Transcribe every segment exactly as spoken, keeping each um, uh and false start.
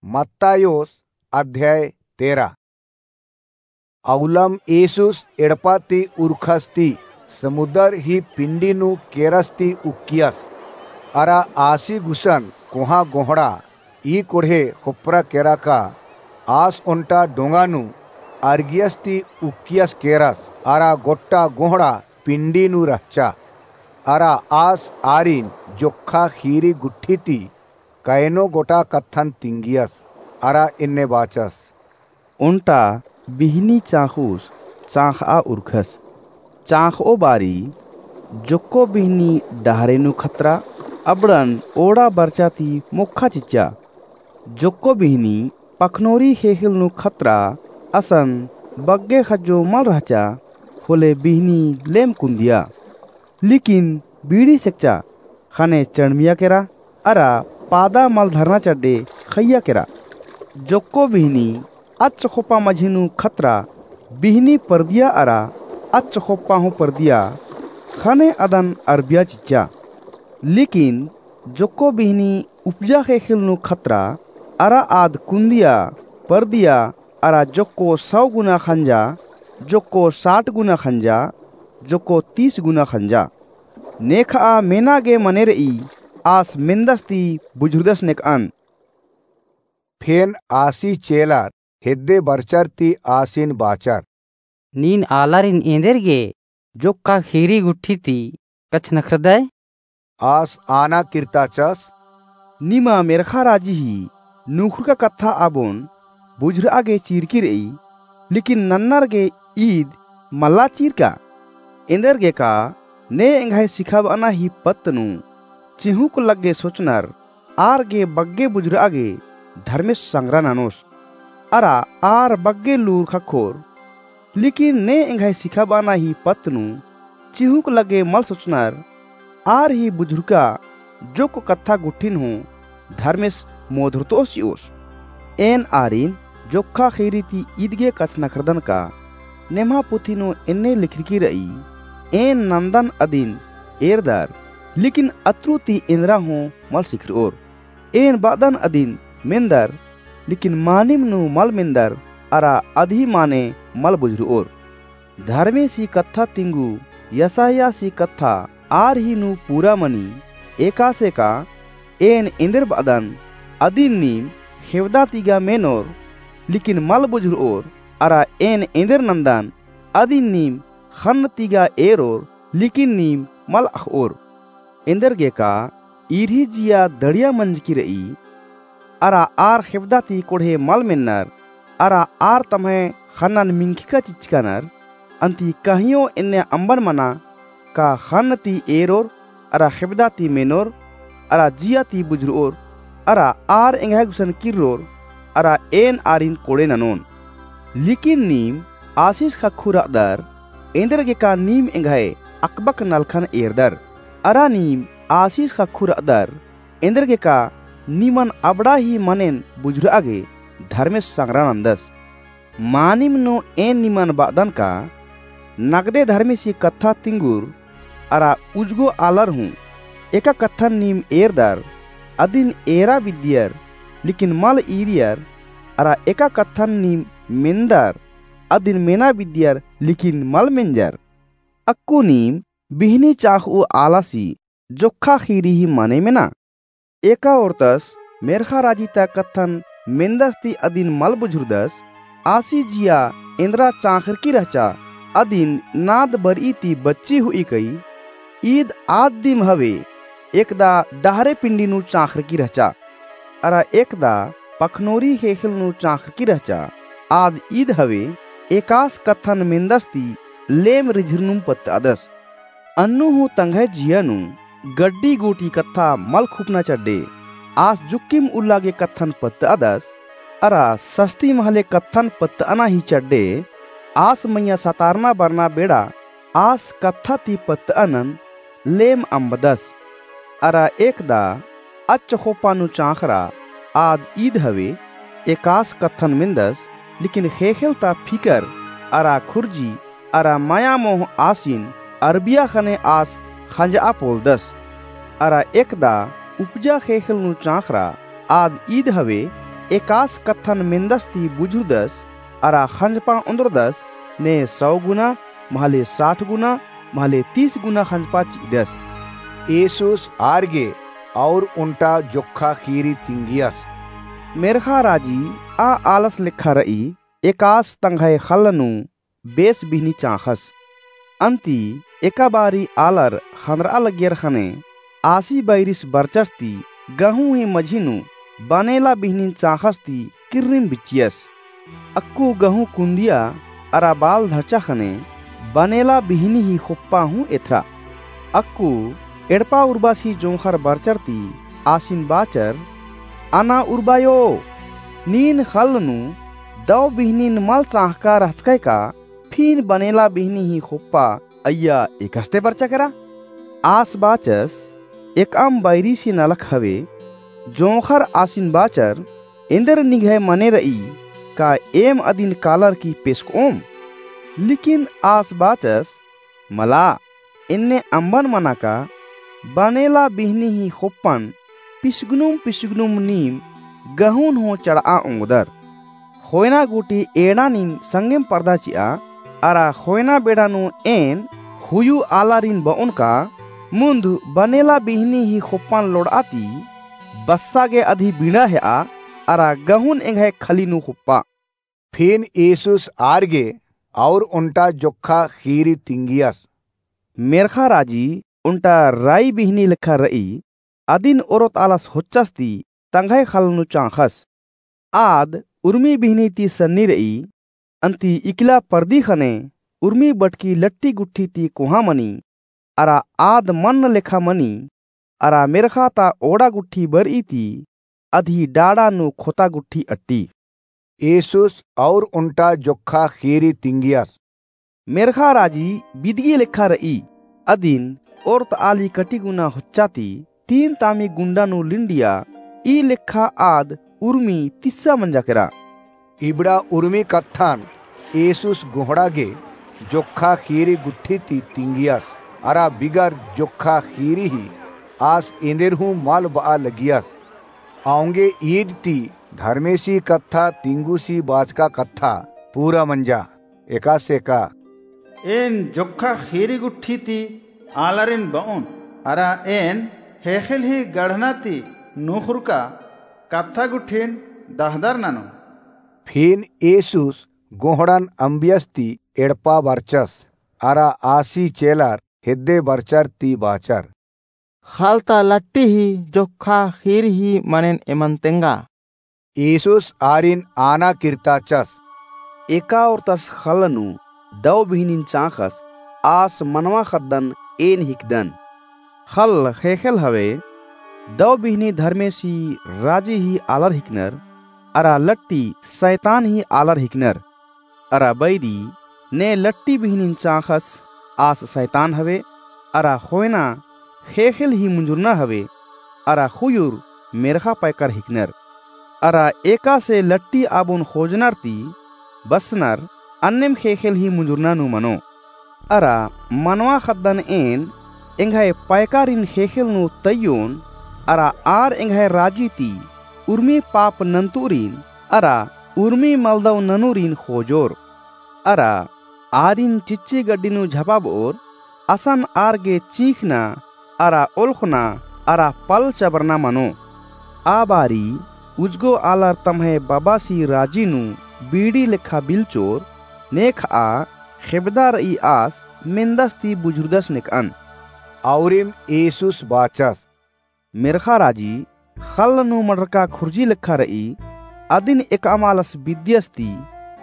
मत्तायोस अध्याय तेरा। अउलम येसुस एड़पा ती उरखस ती समुदर ही पिंडी नू केरस ती उक्कियस। अरा आसी गुसन कोहाँ गोहड़ा ई कोड़हे खोपरा केरा का आस ओन्टा डोंगा नू अरगियस ती उक्कियस केरस। अरा गोट्टा गोहड़ा पिंडी नू रहचा। अरा आस आरिन जोक्खा खीरी गुट्ठी ती कयनो गोटा कत्थन तिंगियस। अरा एन्ने बाचस। ओन्टा बिहनी चाँख़ुस चाँख़आ उरखस। चाँख़ओ बारी जोक्को बिहनी डहरे नू खतरा अबड़न ओड़ा बरचा ती मोक्खा चिच्चा। जोक्को बिहनी पखनोरी ख़ेख़ेल नू खतरा असन बग्गे ख़ज्जो मल रहचा। होले बिहनी लेम कुन्दिया। लिकिन बीड़ी सेकचा ख़ने चड़मिया केरा अरा पादा मल धरना चड्डे ख़इया केरा। जोक्को बिहनी अच्च ख़ोप्पा मझी नू खतरा बिहनी परदिया अरा अच्च ख़ोप्पा हूँ परदिया ख़ने अदन अरबिया चिच्चा। लिकिन जोक्को बिहनी उपजा ख़ेख़ेल नू खतरा अरा आद कुन्दिया परदिया अरा जोक्को सौ गुना ख़ंजा, जोक्को साठ गुना ख़ंजा, जोक्को तीस गुना ख़ंजा। नेखआ मेना गे मने रई आस मेन्दस ती बुझुरदस नेकअन। फेन आसी चेलर हेद्दे बरचर ती आसिन बाचर। नीन आलारिन एन्देरगे जोक्खा खीरी गुट्ठी ती कछनखरदय? आस आना किर्ताचस। निमा मेर्ख़ा राजी ही नुखुरका कत्था आबोन बुझुरआ गे चीरकी रई, लिकिन नन्नर गे ईद मल्ला चीरका। एन्देरगे का ने एंग्है सिखाबअना ही पत्त नू चिहुँक लग्गे सोचनर आर गे बग्गे बुझुरआ गे धर्मेस संग्रा ननोस। अरा आर बग्गे लूर ख़क्खोर। लिकिन ने एंग्है सिखाबअना ही पत्त नू चिहुँक लग्गे मल सोचनर आर ही बुझुरका जोक्क कत्था गुट्ठिन हूँ धर्मेस मोधरतओस चिओस। एन आरिन जोक्खा खीरी ती ईद गे कछनखरदन का नेम्हा पुथी नू एन्ने लिखरकी रई, एन नन्दन अदिन एरदर, लिकिन अत्रु ती एन्दरा हूँ मल सिखरओर। एन बअदन अदिन मेन्दर, लिकिन मानिम नू मल मेन्दर, अरा अदही माने मल बुझुरओर। धर्मेसी कत्था तिंगु यसायासी कत्था आर ही नू पूरा मनी। एकासे का एन एन्देर बअदन अदिन नीम ख़ेवदा ती गा मेनोर, लिकिन मल बुझुरओर, अरा एन एन्देर नन्दन अदिन नीम ख़न्न ती गा एरोर, लिकिन नीम मल अख़ओर। एन्देरगे का ईरही जिया दड़िया मंजकी रई, अरा आर ख़ेवदा ती कोड़हे मल मेन्नर, अरा आर तम्है ख़न्नन मिंख़िका चिचकानर, अन्ती कहियो एन्ने अम्बन मना का ख़न्न ती एरोर, अरा ख़ेवदा ती मेनोर, अरा जिया ती बुझुरओर, अरा आर एंग्है गुसन किर्रोर, अरा एन आरिन कोड़े ननोन। लिकिन नीम आसिस ख़क्खु रअदर, एन्देरगे का नीम एंग्है अकबक नलखन एरदर। अरा नीम आसिस ख़क्खु रअदर, एन्देरगे का निमन अबड़ा ही मनेन बुझुरआ गे धर्मेस संग्रा नन्दस। मानिम नू एन निमन बअदन का नगदे धर्मेसी कत्था तिंगुर अरा उजगो आलर हूँ एका कत्थन नीम एरदर, अदिन एरा बिद्दियर, लिकिन मल ईरियर, अरा एका कत्थन नीम मेन्दर, अदिन मेना बिद्दियर, लिकिन मल मेंजर। अक्कु नीम बिहनी चाख़उ आलासी जोक्खा खीरी ही मने मेना। एका ओर्तस मेर्ख़ा राजी ता कत्थन मेन्दस ती अदिन मल बुझुरदस, आसी जिया एन्दरा चाख़रकी रहचा, अदिन नाद बरई ती बच्ची हुई कई। ईद आद दिम हवे, एकदा डहरे पिंडी नू चाख़रकी रहचा, अरा एकदा पखनोरी ख़ेख़ेल नू चाख़रकी रहचा। आद ईद हवे, एकास कत्थन मेन्दस ती लेम रिझिरनुम पत्तअदस। अन्नु हूँ तंग्है जिया नू गड्डी गूटी कत्था मल खुपना चड्डे, आस जुक्किम उल्ला गे कत्थन पत्तअदस, अरा सस्ती महले कत्थन पत्तअना ही चड्डे, आस मइय्याँ सतारना बरना बेड़ा आस कत्था ती पत्तअनन लेम अम्बदस। अरा एकदा अच्च ख़ोप्पा नू चाख़रा, आद ईद हवे, एकास कत्थन मेन्दस, लिकिन ख़ेख़ेल ता फिकर अरा खुर्जी अरा मया मोह आसिन अरबिया ख़ने आस ख़ंजआ पोलदस। अरा एकदा उपजा ख़ेख़ेल नू चाख़रा, आद ईद हवे, एकास कत्थन मेन्दस ती बुझुरदस, अरा ख़ंजपा ओन्द्रदस, ने सौ गुना, महले साठ गुना, महले तीस गुना ख़ंजपा चि'अदस। ईसुस आर गे और ओन्टा जोक्खा ख़ीरी तिंगियस। मेर्ख़ा राजी आ आलस लेखा र'ई, एकास तंग्है ख़ल्ल नू बेस बिहनी चाँख़स। अन्ती एका बारी आलर ख़न्दर'आ लगियर ख़ने आसी बैरिस बरचस ती गहूँ ही मझी नू बनेला बिहनिन चाँख़स ती किर्रिम बिच्चियस। अक्कु गहूँ कुन्दिया अरा बाल धरचा ख़ने बनेला बिहनी ही ख़ोप्पा हूँ एथरा। अक्कु एड़पा उर्बासी जोंख़र बरचर ती आसिन बाचर, अना उर्बायो, नीन ख़ल्ल नू दौ बिहनिन मल चाँख़का रहचकय का, फिन बनेला बिहनी ही ख़ोप्पा अइय्या एकस्ते बरचा केरा? आस बाचस, एकअम बैरिसी नलख हवे। जोंख़र आसिन बाचर, एन्देर निंग्है मने र'ई का एम अदिन कालर की पेसक'ओम? लेकिन आस बाचस, मला, एन्ने अम्बन मना का बनेला बिहनी ही ख़ोप्पन पिसगनुम पिसगनुम नीम गहूँन हूँ चड़'आ ओंगदर। ख़ोयना गूटी एंड़ानिम संगेम परदा चि'आ, अरा ख़ोयना बेड़ा नू एन ख़ुयु आलारिन ब'ओन का, मुन्ध बनेला बिहनी ही ख़ोप्पन लोड़'आ ती बस्सा गे अदी बिंड़ा हे'आ, अरा गहूँन एंग्है खली नू ख़ोप्पा। फिन ईसुस आर गे और ओन्टा जोक्खा ख़ीरी तिंगियस। मेर्ख़ा राजी ओन्टा राई बिहनी लेखा र'ई, अदिन ओरोत आलस होच्चस ती तंग्है ख़ल्ल नू चाँख़स। आद उर्मी बिहनी ती सन्नी र'ई, अन्ती इकला परदी ख़ने उर्मी बटकी लट्टी गुट्ठी ती कोहाँ मनी, अरा आद मन्न लेखा मनी, अरा मेर्ख़ा ता ओड़ा गुट्ठी बर'ई ती अदी डाड़ा नू ख़ोता गुट्ठी अट्टी। ईसुस और ओन्टा जोक्खा ख़ीरी तिंगियस। मेर्ख़ा राजी बिदगी लेखा र'ई, अदिन ओरोत आली कटिगुना होच्चा ती तीन तामी गुंडा नू लिंडिया, ई लेखा आद उर्मी तिस्सा मंजा केरा। इबड़ा उर्मी कत्थन ईसुस गोहड़ा गे जोक्खा ख़ीरी गुट्ठी ती तिंगियस, अरा बिगर जोक्खा ख़ीरी ही आस एन्देर हूँ मल ब'आ लगियस। औंगे ईद ती धर्मेसी कत्था तिंगुसी बाचका कत्था पूरा मंजा, एकासे का। एन जोक्खा ख़ीरी गुट्ठी ती आलारिन ब'ओन, अरा एन ख़ेख़ेल ही गढ़ना ती नुख़ुरका कत्था गुट्ठिन दहदर ननोन। फिन ईसुस गोहड़न अम्बियस ती एड़पा बरचस, अरा आसी चेलर हेद्दे बरचर ती बाचर। ख़ल्ल ता लट्टी ही जोक्खा ख़ीरी ही मनेन एमन तेंगा। ईसुस आरिन आना किर्ताचस। एका ओरतस ख़ल्ल नू दौ बिहनिन चाँख़स, आस मनवा ख़द्दन एन हिकदन। ख़ल्ल ख़ेख़ेल हवे, दौ बिहनी धर्मेसी राजी ही आलर हिकनर, अरा लट्टी सैतान ही आलर हिकनर। अरा बैरी ने लट्टी बिहनिन चाँख़स, आस सैतान हवे, अरा ख़ोयना ख़ेख़ेल ही मुंजुरना हवे, अरा ख़ुयुर मेर्ख़ा पैकर हिकनर। अरा एकासे लट्टी आबोन ख़ोजनर ती बसनर, अन्नेम ख़ेख़ेल ही मुंजुरना नू मनो। अरा मनवा ख़द्दन एन एंग्है पैकारिन ख़ेख़ेल नू तइयोन, अरा आर एंग्है राजी ती उर्मी पाप नन्तुरिन, अरा उर्मी मलदौ ननुरिन ख़ोजोर। अरा आरिन चिच्ची गड्डी नू झपाब'ओर, असन आर गे चींख़ना, अरा ओलख़ना, अरा पल चबरना मनो। आ बारी उजगो आलर तम्है बबासी राजी नू बीड़ी लेखा बिलचोर, नेख'आ ख़ेबदा र'ई आस मेन्दस ती बुझुरदस नेक'अन। औरिम ईसुस बाचस। मेर्ख़ा राजी ख़ल्ल नू मंड़रका खुर्जी लेखा र'ई, अदिन एकअम आलस बिद्दियस ती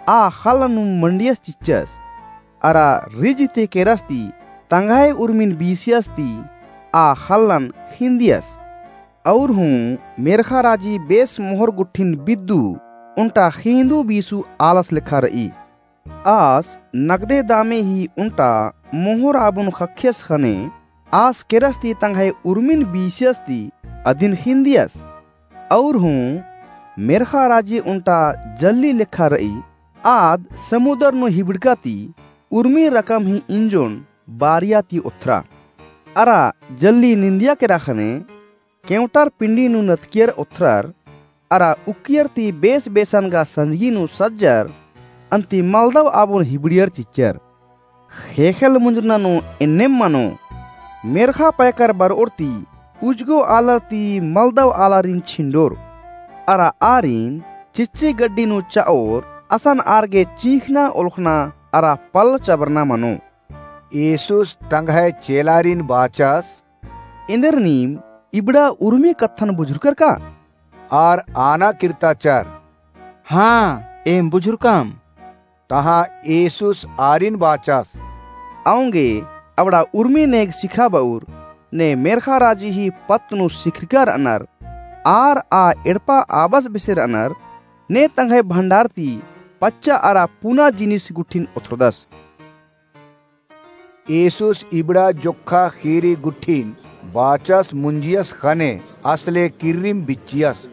आ ख़ल्ल नू मंडियस चिच्चस। अरा रिझ ती केरस ती तंग्है उर्मिन बीसियस ती आ ख़ल्लन ख़िंदियस। और हूँ मेर्ख़ा राजी बेस मोहर गुट्ठिन बिद्दु ओन्टा ख़िंदु बीसु आलस लेखा र'ई। आस नगदे दामे ही ओन्टा मोहर आबोन ख़क्खियस ख़ने आस केरस ती तंग्है उर्मिन बीसियस ती अदिन ख़िंदियस। और हूँ मेर्ख़ा राजी ओन्टा जल्ली लेखा र'ई, आद समुदर नू हिबड़का ती उर्मी रकम ही इंजोन बारिया ती ओथरा। अरा जल्ली निंदिया केरा ख़ने केवंटर पिंडी नू नतकियर ओथरर, अरा उक्कियर ती बेस बेसन गा संजगी नू सज्जर, अन्ती मलदव आबोन हिबड़ियर चिच्चर। ख़ेख़ेल मुंजुरना नू एन्नेम मनो, मेर्ख़ा पैकर बरओर ती उजगो आलर ती मलदव आलारिन छिंडोर, अरा आरिन चिच्ची गड्डी नू चओर, असन आर गे चींख़ना ओलख़ना अरा पल चबरना मनो। येसुस तंग्है चेलारिन बाचस, एन्देर नीम इबड़ा उर्मी कत्थन बुझुरकर का? आर आना किर्ताचर, हाँ, एम बुझुरकम। तहाँ येसुस आरिन बाचस, औंगे अबड़ा उर्मी नेग सिखाबउर, ने मेर्ख़ा राजी ही पत्त नू सिखरकर अनर, आर आ एड़पा आबस बेसेर अनर, ने तंग्है भंडार ती पच्चा अरा पुना जिनिस गुट्ठिन ओथ्रोदस। येसुस इबड़ा जोक्खा ख़ीरी गुट्ठिन बाचस मुंजियस ख़ने असले किर्रिम बिच्चियस।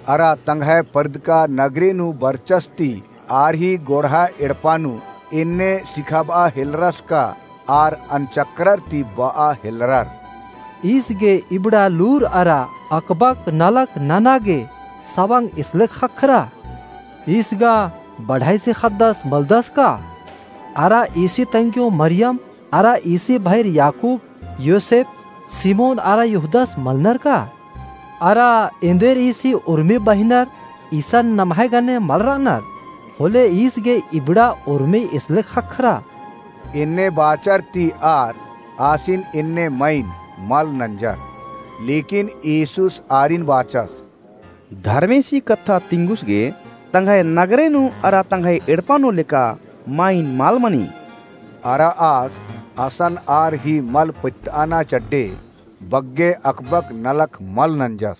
अरा तंग्है परदका नगरे नू बरचस ती आर ही गोड़हा एड़पा नू एन्ने सिखाबआ हेलरस का आर अनचकरर ती बआ हेलरर। ईस गे इबड़ा लूर अरा अकबक नलख नना गे सवंग इसलेख ख़क्खरा? ईस गा बढ़ाईसी ख़द्दस मलदस का? अरा ईसी तंग्यो मरियम अरा ईसी भईर याकूब, योसेप, सिमोन अरा यहूदस मलनर का? अरा एन्देर ईसी उर्मी बहिनर ईसन नम्है गने मल रअनर? होले ईस गे इबड़ा उर्मी इसलेख ख़क्खरा? एन्ने बाचर ती आर आसिन एन्ने मईन मल नंजर। लेकिन येसुस आरिन बाचस, धर्मेसी कत्था तिंगुस गे तंग्है नगरे नू अरा तंग्है एड़पा नू लेका मईन मल मनी। अरा आस असन आर ही मल पत्तअना चड्डे बग्गे अकबक नलख मल नंजस।